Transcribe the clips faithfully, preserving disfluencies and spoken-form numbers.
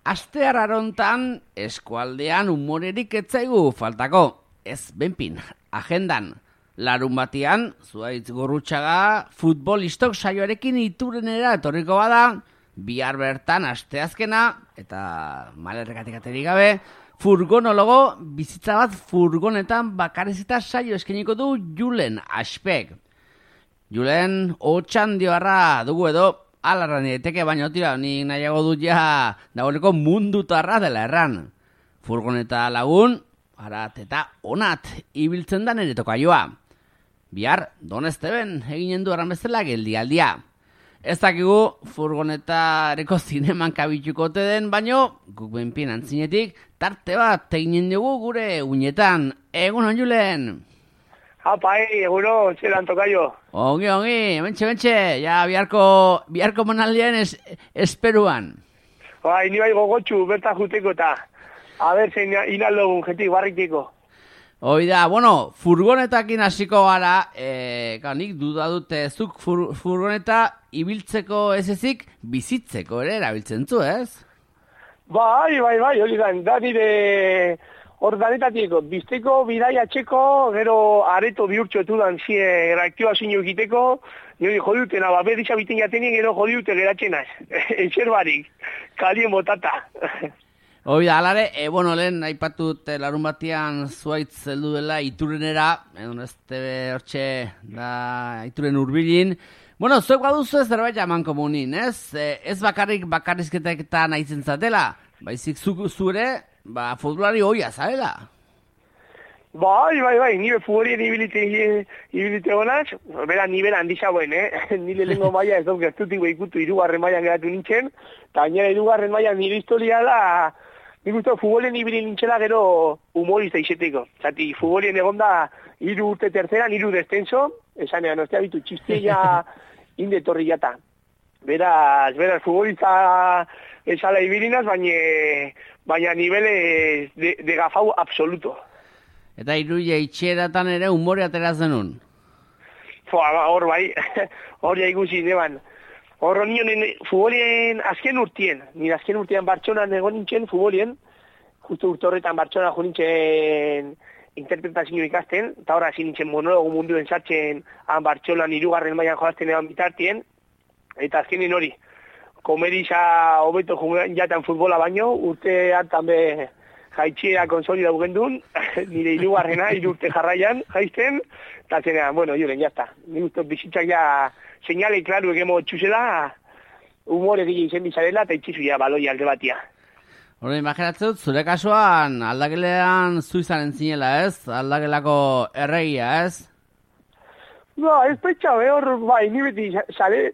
astear arontan eskualdean umorerik etzaigu faltako. Ez, benpin, agendan. Larun batian, Zuhaitz Gurrutxaga futbolistok saioarekin iturenera etorriko bada, bihar bertan asteazkena, eta malerrekatik aterik gabe, furgonologo bizitza bat furgonetan bakarrizita saio eskeniko du Julen Aspek. Julen otxandioarra dugu edo, alarra nireteke, baina tira, nik nahiago dut ja dagoeneko mundutarra dela erran. Furgoneta lagun, arat eta onat ibiltzen da nire tokaioa. Bihar, Donesteben eginen du erran bezala geldialdia. Ez dakigu furgonetareko zineman kabituko ote den, baino guk benpien antzinetik tarte bat eginen dugu gure uinetan. Egunon, Julen! Apa, eh, eguno, zelan tokaio. Ongi, ongi, mentxe, mentxe, ja biharko, biharko manaldian es, esperuan. Bai, ni bai gogotxu, berta juteko eta, a ber, zein inaldogun jetik barritiko. Hoi da, bueno, furgonetakin hasiko gara, e, nik duda dute zuk fur, furgoneta ibiltzeko ez ezik bizitzeko ere erabiltzen zu, ez? Bai, bai, bai, hori da, da nire ordanetatieko, bizteko, bidai atxeko, gero areto bihurtxo etudan zie reaktibazio egiteko, nire jodiutena, baber izabiten jatenien gero jodiute geratzenaz, eixer barik, kalien botata. Hoi da, alare, e, bueno, lehen aipatut larun batian Zuhaitz heldu dela iturenera, egon ez tebe hortxe da ituren urbilin. Bueno, zuek baduzu ez zerbait jaman komunin, ez? E, ez bakarrik bakarrizketetan aitzen zatela, baizik zu, zure, ba, futbolari hoia, zarela? Bai, bai, bai, nire futbolien ibilite, ibilite honaz, bera nibela handisa buen, eh? Nire lengo maia ez dut gertutik behikutu irugarren maian geratu nintzen, eta gainera irugarren maian nire historia da, nik uste futbolien ibili nintzela gero humorista izeteko. Zati, futbolien egon da iru urte terceran, iru descenso, esanean, ostia bitu, txistia indetorri jata. Beraz, beraz, futbolista esala ibilinaz, baina, baina nivele de, de gafau absoluto. Eta iruia itxeratan ere humore atera zenun? Hor bai, hor ja ikusi neban. Hor nionen futbolien azken urtien, nire azken urtean Bartxonan egon nintzen futbolien, justu urte horretan Bartxonan jo nintzen interpretazio ikasten, eta horra hasi nintzen monologo munduen sartzen han Bartxonan irugarren mailan jolazten egon bitartien, eta azkenen hori, komeriza hobeto jatan futbola baino, urte hartan be jaitxiera konsolida bugendun, nire irugarrena, irurte jarraian jaizten, eta zenean, bueno, juren, jazta. Ni guztot bizitzak ja señale klaru egemo txuzela, humore gile izen bizarela, eta itxizu ja baloi alde batia. Hora, imaginatzen dut, zure kasuan aldagelean zu izanen zinela, ez? Aldagelako erregia, ez? Ba, ez petxa, hor, bai, ni beti, sale,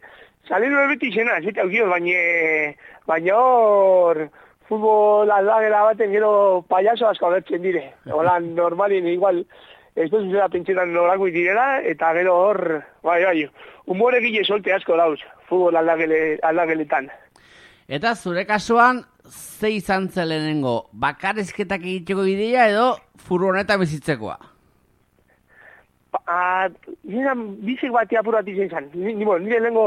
sale nuen beti izena, ez eta aukioz, baina, baina hor, futbol aldagela baten gero payaso asko agertzen dire. Hola, normalien igual, ez dut zuzera pentsetan norako direla, eta gero hor, bai, bai, humore gile solte asko dauz, futbol aldagele, aldageletan. Eta zure kasuan, ze izan zelenengo, bakarrizketak egiteko ideia edo furgoneta bizitzekoa? Ba, nire bizik batia apurat izan zan. Nire lehenko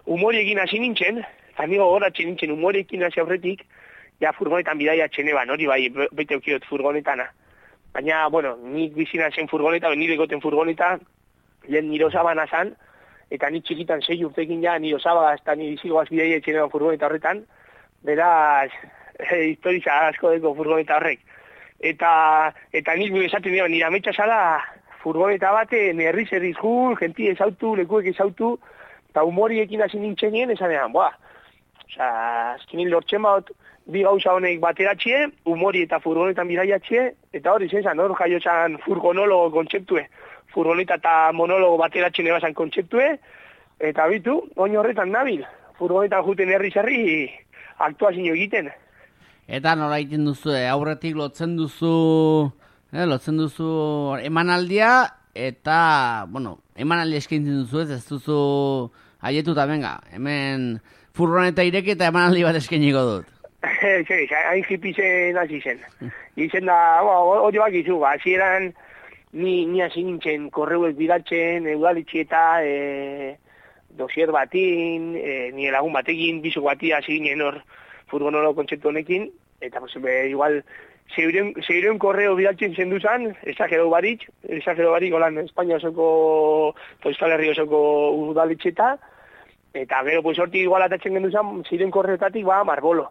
humoriekin hasi nintzen, eta nire horatzen nintzen humoriekin hasi aurretik, ja furgonetan bidaia txeneban, hori bai, bete eukiot furgonetana. Baina, bueno, nik bizina zen furgoneta, nire goten furgoneta, lehen nire osabana zan, eta nik txikitan sei urtekin ja nire osaba, eta nire izigoaz bidaia txeneban furgoneta horretan, beraz, e, historiza asko deko furgoneta horrek. Eta, eta nik esaten dira, nire ametsa zala, furgoneta baten herriz herriz gu, genti ezautu, lekuek ezautu, eta humoriekin hasi nintzenien, esanean, boa, oza, azkenin lortzen baut, bi gauza honek bateratxie, humori eta furgonetan bidaiatxie, eta hori zen, hor jaio zan furgonologo kontzeptue, furgoneta eta monologo bateratxien ebazan kontzeptue, eta bitu, oin horretan nabil, furgonetan juten herri zerri aktuazio egiten. Eta nola egiten duzu, eh? Aurretik lotzen duzu, eh, lotzen duzu emanaldia, eta, bueno, emanaldia eskaintzen duzu ez, ez duzu haietuta, venga, hemen furgoneta ireki eta emanaldi bat eskainiko dut. Sí, hain hipizen hasi zen. Izen da, hori bakizu, hasi eran ni, ni hasi nintzen korreuek bidaltzen, eudalitxieta, e, dosier batin, e, nire lagun batekin, bizuk bati hasi ginen hor furgonolo kontzeptu honekin, eta pues, be, igual, zeireun korreo bidaltzen zen duzan, esagero barik, esagero barik, holan, Espainia osoko, Euskal Herri osoko udaletxeta, eta gero, pues, hortik igual atatzen genduzan, zeireun korreotatik, ba, marbolo.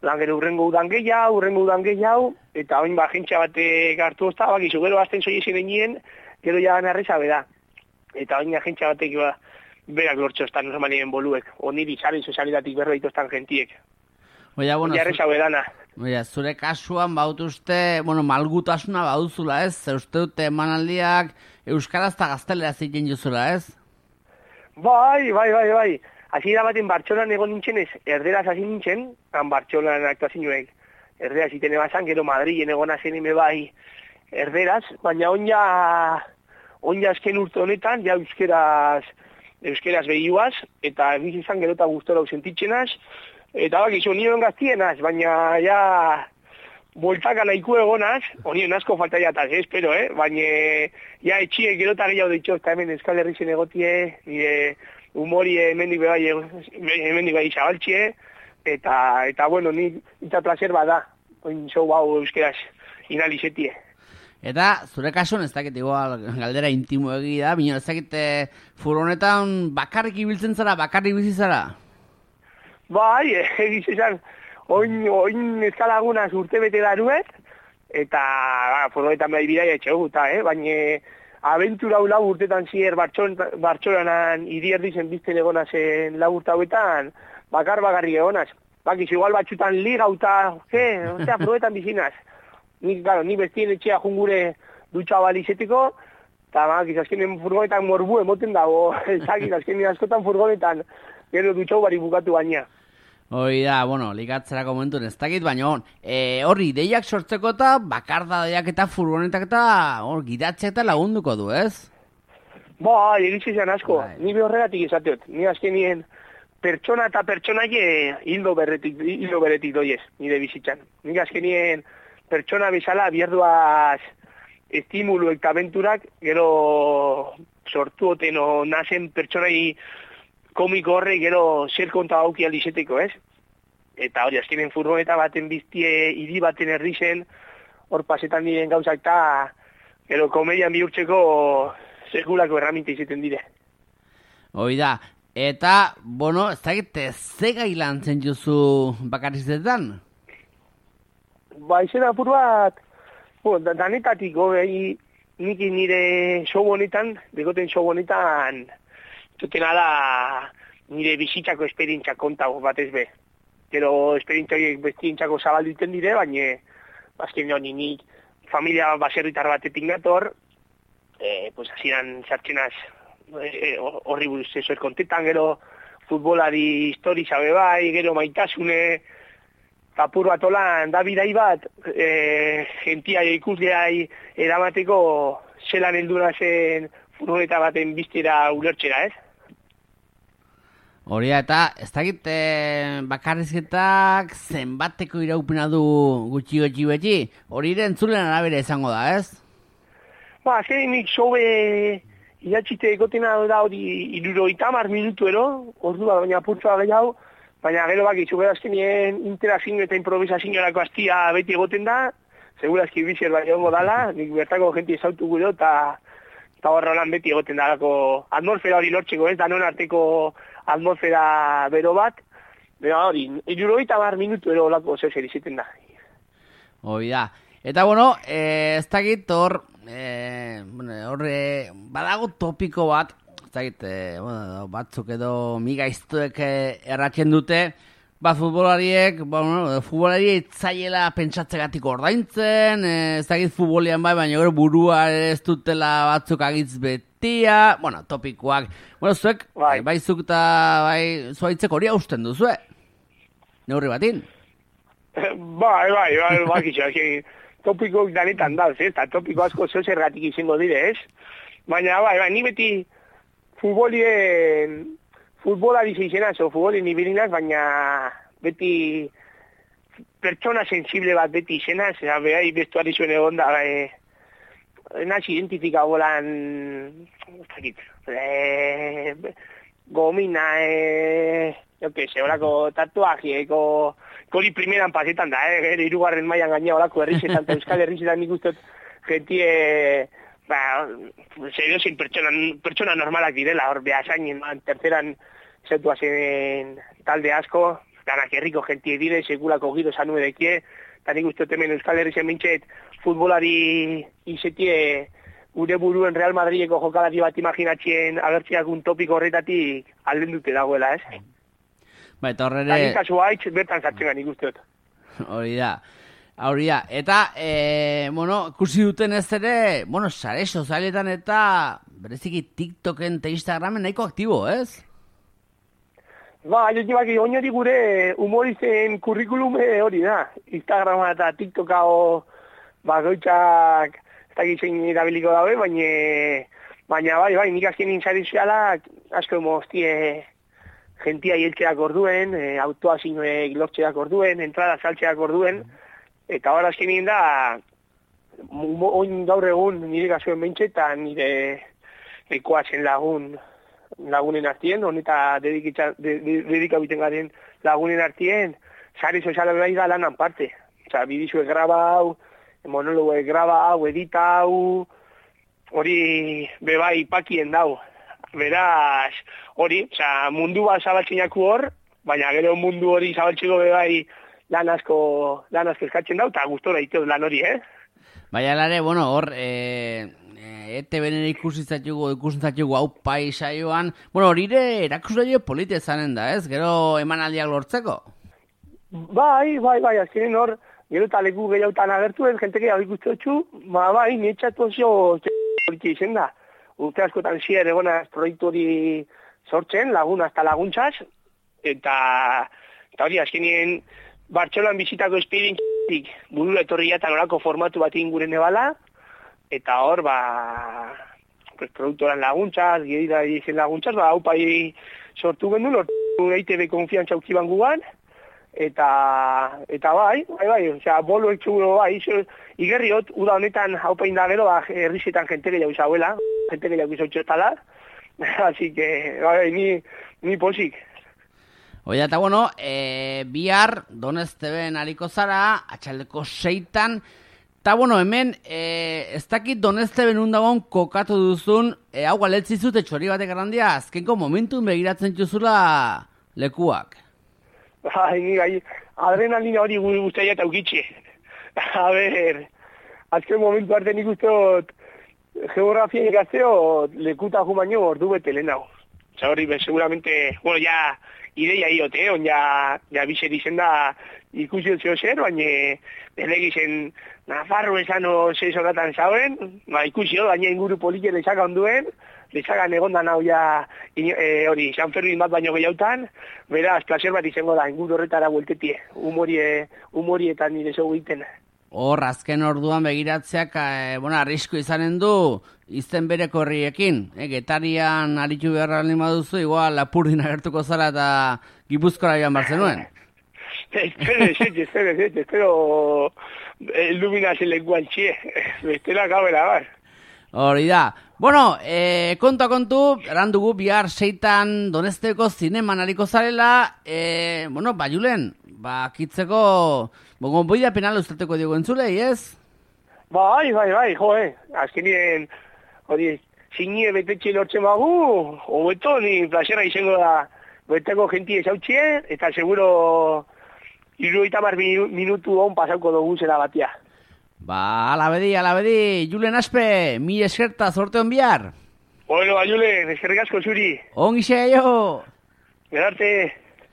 Lan gero urrengo udan gehiago, urrengo udan gehiago, eta hain ba, jentxa batek hartu ozta, bakizu, gero azten zoi ezin egin, gero ja narreza beda. Eta hain jentxa batek, ba, berak lortxo estan normalien boluek, oniri sari sozialitatik berroitu estan gentiek. Oia, bueno, Jarreza bedana. Oia, zure kasuan bautuzte, bueno, malgutasuna bauduzula, ez? Zeuste dute emanaldiak euskaraz eta gaztelera ziken juzula, ez? Bai, bai, bai, bai. Hasi da baten Bartxolan egon nintzen ez, erderaz hasi nintzen, han Bartxolan aktuazioek erderaz iten ebazan, gero Madrilen egon azen ime bai erderaz, baina onja, onja azken urte honetan, ja euskeraz, euskeraz behioaz, eta egiz izan gero eta gustora ausentitzenaz, eta bak, izo nion gaztienaz, baina ja boltaka nahiko egonaz, honien asko falta jataz, eh, espero, eh, baina ja etxiek gero eta gehiago ditxo, eta hemen Euskal Herri zen egotie, nire humori hemendik bai, hemendik bai zabaltxie, eta, eta bueno, ni eta placer bada, oin zau bau euskeraz inalizetie. Eta, zure kasuan ez dakit igual galdera intimo egi da, bino ez dakit furgonetan bakarrik ibiltzen zara, bakarrik bizi zara? Bai, egiz esan, oin, oin eskalagunaz urte bete daruet, eta ba, furgonetan bai bidai etxegu, eta, eh, baina abentura hau lau urtetan zier Bartxolanan hiri erdizen bizten egona zen lau urte hauetan, bakar bakarrik egonaz. Bakiz, igual batxutan ligauta, ke, osea, furgonetan bizinaz. Ni, claro, ni bestien etxea jungure dutxa balizeteko, eta bakiz, azkenen furgonetan morbu emoten dago, ezakit, azkenen askotan furgonetan, gero dutxau bari bukatu baina. Hoi da, bueno, ligatzerako momentun ez dakit, baina e, horri ideiak sortzeko eta bakarda deiak eta furgonetak eta hor gidatzea eta lagunduko du, ez? Ba, egitzen zen asko, bai. Ni behorregatik izateot, ni azkenien pertsona eta pertsonaie hildo berretik, hildo beretik doiez, nire bizitzan. Ni azkenien pertsona bezala bierduaz estimulu eta aventurak, gero sortu oten o nazen pertsonai komiko horre gero zer konta hauki aldizeteko, ez? Eta hori, azkenen furgoneta baten biztie hiri baten herri zen, hor pasetan diren gauzak eta gero komedian bihurtzeko sekulako erraminte izaten dire. Hoi da, eta, bueno, ez dakit, ze gai lan zen juzu bakarrizetan? Ba, izan apur bat, bueno, danetatik, gobei, nik nire show honetan, dekoten show honetan, zutena da nire bizitzako esperientzia kontago batez be. Gero esperientzia horiek bestientzako zabaldu iten dire, baina azken honi nik familia baserritar batetik nator, e, pues hasieran sartzenaz horri e, buruz eso kontetan, gero futbolari histori zabe bai, gero maitasune, tapur bat olan, da bidai bat, e, gentia ikusleai eramateko zelan heldura zen furgoneta baten biztera ulertxera, ez? Hori eta ez dakit e, bakarrizketak zenbateko iraupena du gutxi gutxi beti, hori entzulen arabera izango da, ez? Ba, azken nik sobe idatxite egotena da hori irurogeita hamar minutu ero, ordua baina purtsoa gehiago, baina gero baki, zugera azkenien interazio eta improvisazioarako hastia beti egoten da, segurazki bizier bai egongo dala, nik bertako jenti ezautu gure eta eta horra lan beti egoten dalako atmosfera hori lortzeko, ez, danon arteko atmosfera bero bat, bera hori, irurogeita hamar minutu ero olako zer izaten da. Hoi da. Eta bueno, eh, ez dakit hor, eh, hor eh, badago topiko bat, ez dakit, eh, bueno, batzuk edo migaiztuek eh, erratzen dute, ba, futbolariek, ba, bueno, futbolari itzaiela pentsatzegatik ordaintzen, eh, ez dakit futbolian bai, baina gero burua ez dutela batzuk agitz betia, bueno, topikoak. Bueno, zuek, bai, bai zuk eta bai zuaitzek hori hausten duzu, eh? Neurri batin? Bai, bai, bai, bai, bai, topikoak danetan da, ez, eta topiko asko zeu zergatik izango dire, ez? Baina, bai, bai, ni beti futbolien... futbolari zeizenaz, o futbolin ibilinaz, baina beti pertsona sensible bat beti izenaz, eta behai bestuari zuen egon da, e, naz identifika bolan, e, gomina, e, jo que se, horako tatuaje, eko hori primeran pasetan da, eh? Gero hirugarren mailan gaina olako herrizetan, eta euskal herrizetan nik uste gentie, ba, zedozein pertsona, pertsona normalak direla, hor behasainen, terceran zetua zen talde asko, danak herriko gentie dire, segulako giro zanu edekie, eta nik uste hemen euskal herrizen mintxet, futbolari izetie, gure buruen Real Madrideko jokalari bat imaginatzen agertziak un topiko horretatik alden dute dagoela, ez? Ba, eta horrere... Eta kasu haitz, bertan zartzen gani guztiot. Hori da, hori da. Eta, e, bueno, ikusi duten ez ere, bueno, sare sozialetan eta bereziki TikToken eta Instagramen nahiko aktibo, ez? Ba, jotibak, oinori gure humoristen kurrikulume hori da. Instagrama eta TikToka o bakoitzak ez dakit zein erabiliko daue, baina baina bai, bai, nik azken nintzari zualak asko moztie gentia hieltzeak orduen, e, autoa zinuek lortzeak orduen, entrada saltzeak orduen, eta hor azken nien da, oin gaur egun nire gazuen behintxe eta nire ekoatzen lagun lagunen artien, honeta dedikabiten garen lagunen artien, sare soziala bai da lanan parte. Osa, bidizuek graba hau, monologoek graba hau, edita hau, hori bebai pakien dau. Beraz, hori, oza, mundu bat zabaltzeinaku hor, baina gero mundu hori zabaltzeko bebai lan asko, lan asko eskatzen dau, eta gustora iteuz lan hori, eh? Baina lare, bueno, hor, e, e, E T B-nen ikusitzatugu, ikusitzatugu hau pai saioan, bueno, hori ere erakusle polite zanen da, ez? Gero emanaldiak lortzeko? Bai, bai, bai, azkenin hor, gero eta leku gehiautan agertuen, jenteke hau ikustotxu, ba, bai, netxatu oso hori izen da. Urte askotan zier egonaz proiektu hori sortzen, lagun hasta laguntzaz, eta, eta hori azkenien Bartxolan bizitako esperientzik burura etorri jatan orako formatu bat inguren ebala, eta hor, ba, pues, produktoran laguntzaz, gerida dizen laguntzaz, ba, hau pai sortu gendu, lortu E T B konfiantza ukiban gugan, eta, eta bai, bai, bai, osea, bolo etxuguro bai, iso, igerriot, uda honetan hau pain da gero, ba, herrizetan jente gehiago izauela, jente gehiago izautxotala, así que, bai, ni, ni posik. Oia, eta bueno, e, bihar Donesteben hariko zara, atxaldeko seitan, eta bueno, hemen, e, ez dakit Donesteben undagoen kokatu duzun, e, hau galetzizut etxori batek errandia, azkenko momentun begiratzen txuzula lekuak. Bai, ni gai, adrenalina hori guztia eta ukitxe. A ber, azken momentu arte nik usteot geografia ikasteo lekuta jumaino ordu bete lehenago. Osa hori, seguramente, bueno, ya ideia iote, on ja, ja bixer izen da ikusi otzio zer, baina delegizen Nafarro esano seis horatan zauen, ba, ikusi hori, baina inguru polike lezaka onduen, lezakan egondan hau ja e, hori, San Fermin bat baino gehiautan, beraz, placer bat izango da, inguru horretara bueltetie, humorie, humorietan nire zeu egiten. Hor, azken orduan begiratzeak, e, bueno, arrisku izanen du, izten bereko horriekin. E, Getarian aritu beharra lima duzu, igual Lapurdin agertuko zara eta Gipuzkoara joan bar zenuen. Espero, espero, espero, espero, iluminazen lekuan txie, bestela gabela bar. Hori da. Bueno, e, kontu kontu, erandugu bihar seitan Donesteko zineman hariko zarela, e, bueno, ba, Julen, ba, kitzeko, bongon boida penal ustateko diogu entzulei, ez? Bai, bai, bai, jo, eh, azkenien, hori, zinie betetxe lortzen bagu, hobeto, ni plazera izango da, beteko gentie zautxie, eta seguro, iruita mar minutu hon pasauko dugu zela batia. Ba, alabedi, alabedi, Julen Aspe, mi eskerta, zorte hon bihar. Bueno, ba, Julen, eskerrik asko zuri. Ongi xe, jo. Gerarte.